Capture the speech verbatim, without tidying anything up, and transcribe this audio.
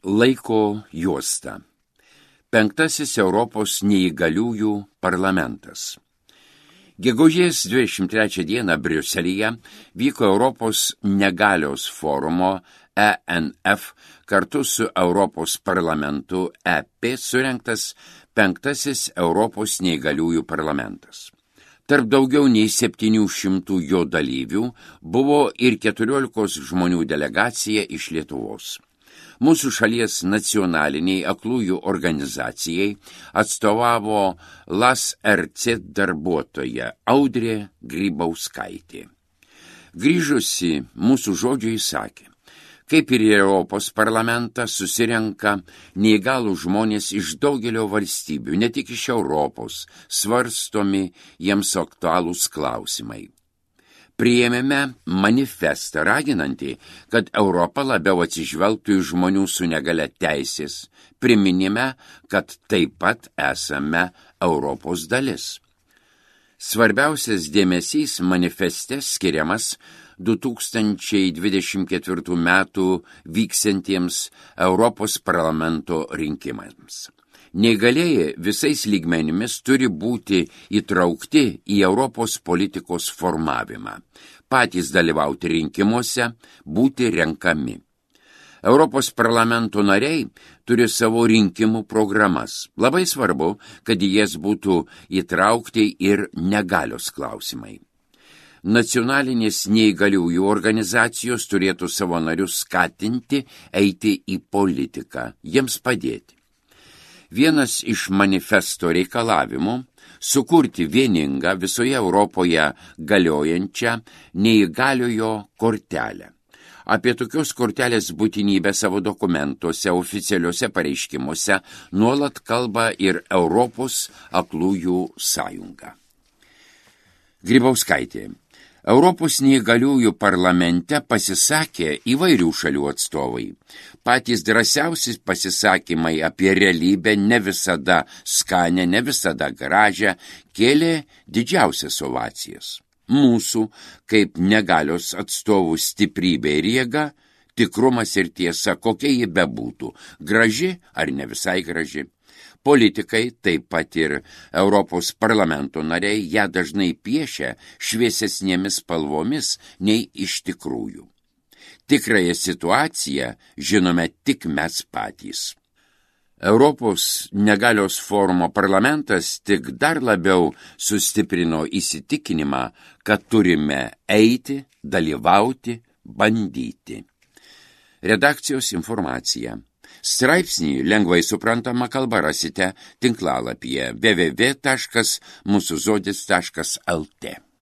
Laiko juosta. Penktasis Europos neįgaliųjų parlamentas. Gegužės dvidešimt trečią dieną Briuselyje vyko Europos negalios forumo E N F kartu su Europos parlamentu E P surengtas penktasis Europos neįgaliųjų parlamentas. Tarp daugiau nei septynių šimtų jo dalyvių buvo ir keturiolikos žmonių delegacija iš Lietuvos. Mūsų šalies nacionaliniai aklųjų organizacijai atstovavo L A S R C darbuotoja Audrė Grybauskaitė. Grįžusi mūsų žodžiai sakė, kaip ir Europos parlamentą susirenka neįgalų žmonės iš daugelio valstybių, ne tik iš Europos, svarstomi jiems aktualūs klausimai. Priėmėme manifestą raginantį, kad Europa labiau atsižvelgtų į žmonių su negale teisės, priminime, kad taip pat esame Europos dalis. Svarbiausias dėmesys manifeste skiriamas du tūkstančiai dvidešimt ketvirtų metų vyksiantiems Europos parlamento rinkimams. Neįgalieji visais lygmenimis turi būti įtraukti į Europos politikos formavimą, patys dalyvauti rinkimuose, būti renkami. Europos parlamento nariai turi savo rinkimų programas. Labai svarbu, kad į jas būtų įtraukti ir negalios klausimai. Nacionalinės neįgaliųjų organizacijos turėtų savo narius skatinti eiti į politiką, jiems padėti. Vienas iš manifesto reikalavimų – sukurti vieningą visoje Europoje galiojančią neįgaliojo kortelę. Apie tokios kortelės būtinybę savo dokumentuose, oficialiuose pareiškimuose nuolat kalba ir Europos aklųjų sąjunga. Grybauskaitė. Europos neįgaliųjų parlamente pasisakė įvairių šalių atstovai. Patys drąsiausi pasisakymai apie realybę ne visada skanę, ne visada gražią, kėlė didžiausias ovacijas. Mūsų, kaip negalios atstovų stiprybė ir jėga, tikrumas ir tiesa, kokia ji bebūtų, graži ar ne visai graži. Politikai, taip pat ir Europos parlamento nariai, ją dažnai piešia šviesesnėmis spalvomis nei iš tikrųjų. Tikrąją situaciją žinome tik mes patys. Europos negalios forumo parlamentas tik dar labiau sustiprino įsitikinimą, kad turime eiti, dalyvauti, bandyti. Redakcijos informacija. Straipsnį lengvai suprantama kalba rasite tinklalapyje w w w taškas mūsų žodis taškas l t.